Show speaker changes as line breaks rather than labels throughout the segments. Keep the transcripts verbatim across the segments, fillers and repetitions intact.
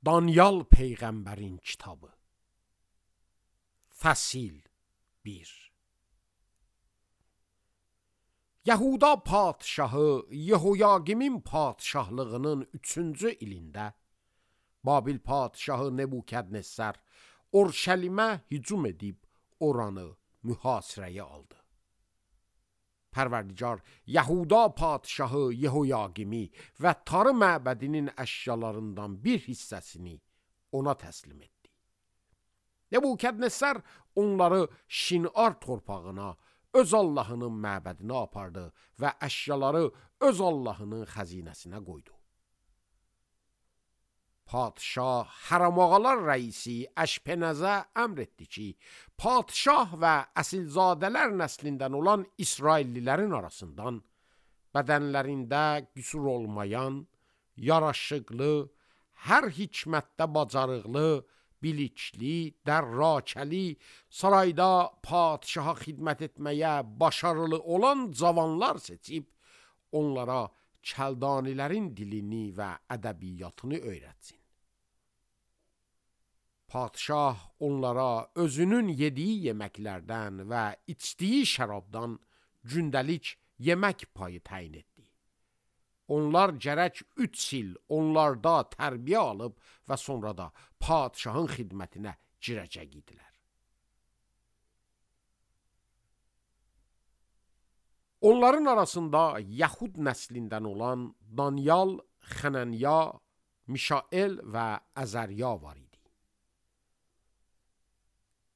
Danyal Peyğəmbərin kitabı. Fəsil bir. Yahuda padşahı Yehoyaqimin padşahlığının üçüncü ilində Babil padşahı Nebukadnezar Orşəlimə hücum edib oranı mühasirəyə aldı. Pərverdigar Yahuda padşahı Yehoyaqimi və Tarı məbədinin əşyalarından bir hissəsini ona təslim etdi. Nebukadnezar onları Şinar torpağına, öz Allahının məbədinə apardı və əşyaları öz Allahının xəzinəsinə qoydu. Padşah Hərəmağalar rəisi Əşpenəzə əmr etdi ki, padşah və əsilzadələr nəslindən olan İsraillilərin arasından bədənlərində qüsur olmayan, yaraşıqlı, hər hikmətdə bacarıqlı, bilikli, dərrakəli, sarayda padşaha xidmət etməyə başarılı olan cavanlar seçib, onlara Kəldanilərin dilini və ədəbiyyatını öyrətsin. Padşah onlara özünün yediyi yeməklərdən və içdiyi şərabdan gündəlik yemək payı təyin etdi. Onlar gərək üç il onlarda tərbiyə alıb və sonra da padşahın xidmətinə girəcək idilər. Onların arasında Yahud nəslindən olan Danyal, Xənənya, Mişael və Əzərya var idi.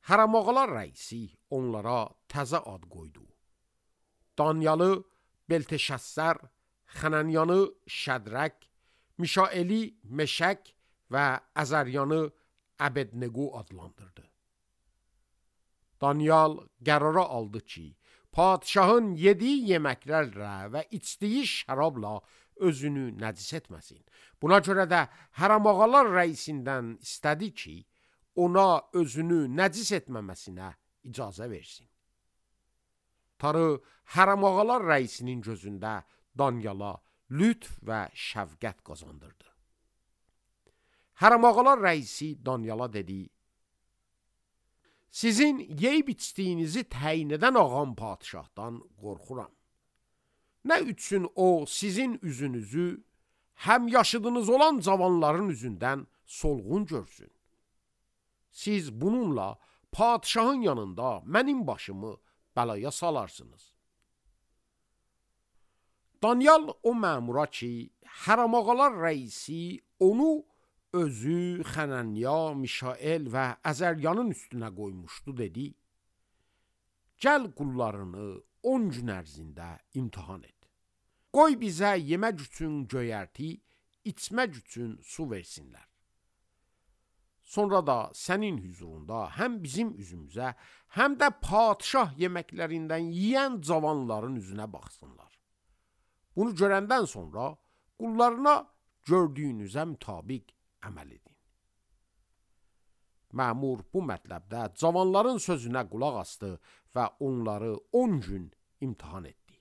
Hərəmağalar rəisi onlara təzə ad qoydu. Danyalı Belteşəssər, Xənənyanı Şədrək, Mişaeli Meşək və Əzəryanı Əbednego adlandırdı. Danyal qərara aldı ki, padşahın yediyi yeməklərlə və içdiyi şərabla özünü nəcis etməsin. Buna görə də Hərəmağalar rəisindən istədi ki, ona özünü nəcis etməməsinə icazə versin. Tarı Hərəmağalar rəisinin gözündə Danyala lütf və şəfqət qazandırdı. Hərəmağalar rəisi Danyala dedi, sizin yeyib içdiyinizi təyin edən ağam padşahdan qorxuram. Nə üçün o sizin üzünüzü həm yaşıdınız olan cavanların üzündən solğun görsün? Siz bununla padşahın yanında mənim başımı bəlaya salarsınız. Danyal o məmura ki, Hərəmağalar rəisi onu özü, Xənənya, Mişael və Əzəryanın üstünə qoymuşdu, dedi, gəl qullarını on gün ərzində imtihan et. Qoy bizə yemək üçün göyərti, içmək üçün su versinlər. Sonra da sənin hüzurunda həm bizim üzümüzə, həm də padşah yeməklərindən yiyən cavanların üzünə baxsınlar. Bunu görəndən sonra qullarına gördüyünüzə mütabiq əməl edin. Məmur bu mətləbdə cavanların sözünə qulaq asdı və onları on gün imtihan etdi.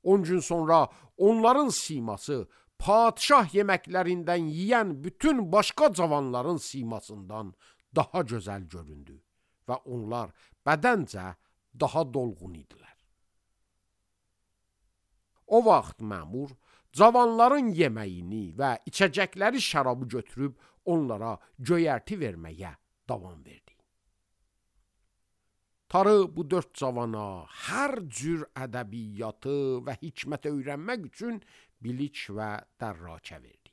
on gün sonra onların siması padşah yeməklərindən yiyən bütün başqa cavanların simasından daha gözəl göründü və onlar bədəncə daha dolğun idilər. O vaxt məmur cavanların yeməyini və içəcəkləri şərabı götürüb onlara göyərti verməyə davam verdi. Tarı bu dörd cavana hər cür ədəbiyyatı və hikmət öyrənmək üçün bilik və dərrakə verdi.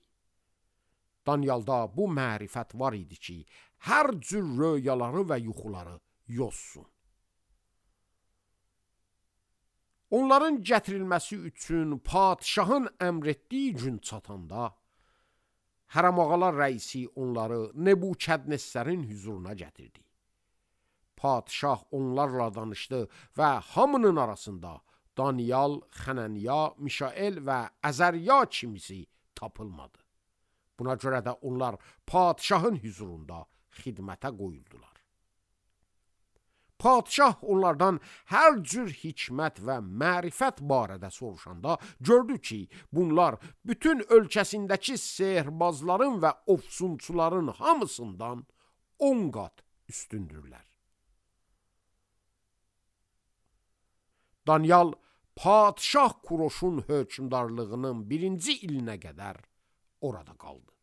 Danyalda bu mərifət var idi ki, hər cür röyaları və yuxuları yozsun. Onların gətirilməsi üçün padşahın əmr etdiyi gün çatanda, Hərəmağalar rəisi onları Nebukadnezarın hüzuruna gətirdi. Padşah onlarla danışdı və hamının arasında Danyal, Xənənya, Mişael və Əzərya kimisi tapılmadı. Buna görə də onlar padşahın hüzurunda xidmətə qoyuldular. Padşah onlardan hər cür hikmət və mərifət barədə soruşanda gördü ki, bunlar bütün ölkəsindəki sehrbazların və ofsunçuların hamısından on qat üstündürlər. Danyal Padşah Kuroşun hökmdarlığının birinci ilinə qədər orada qaldı.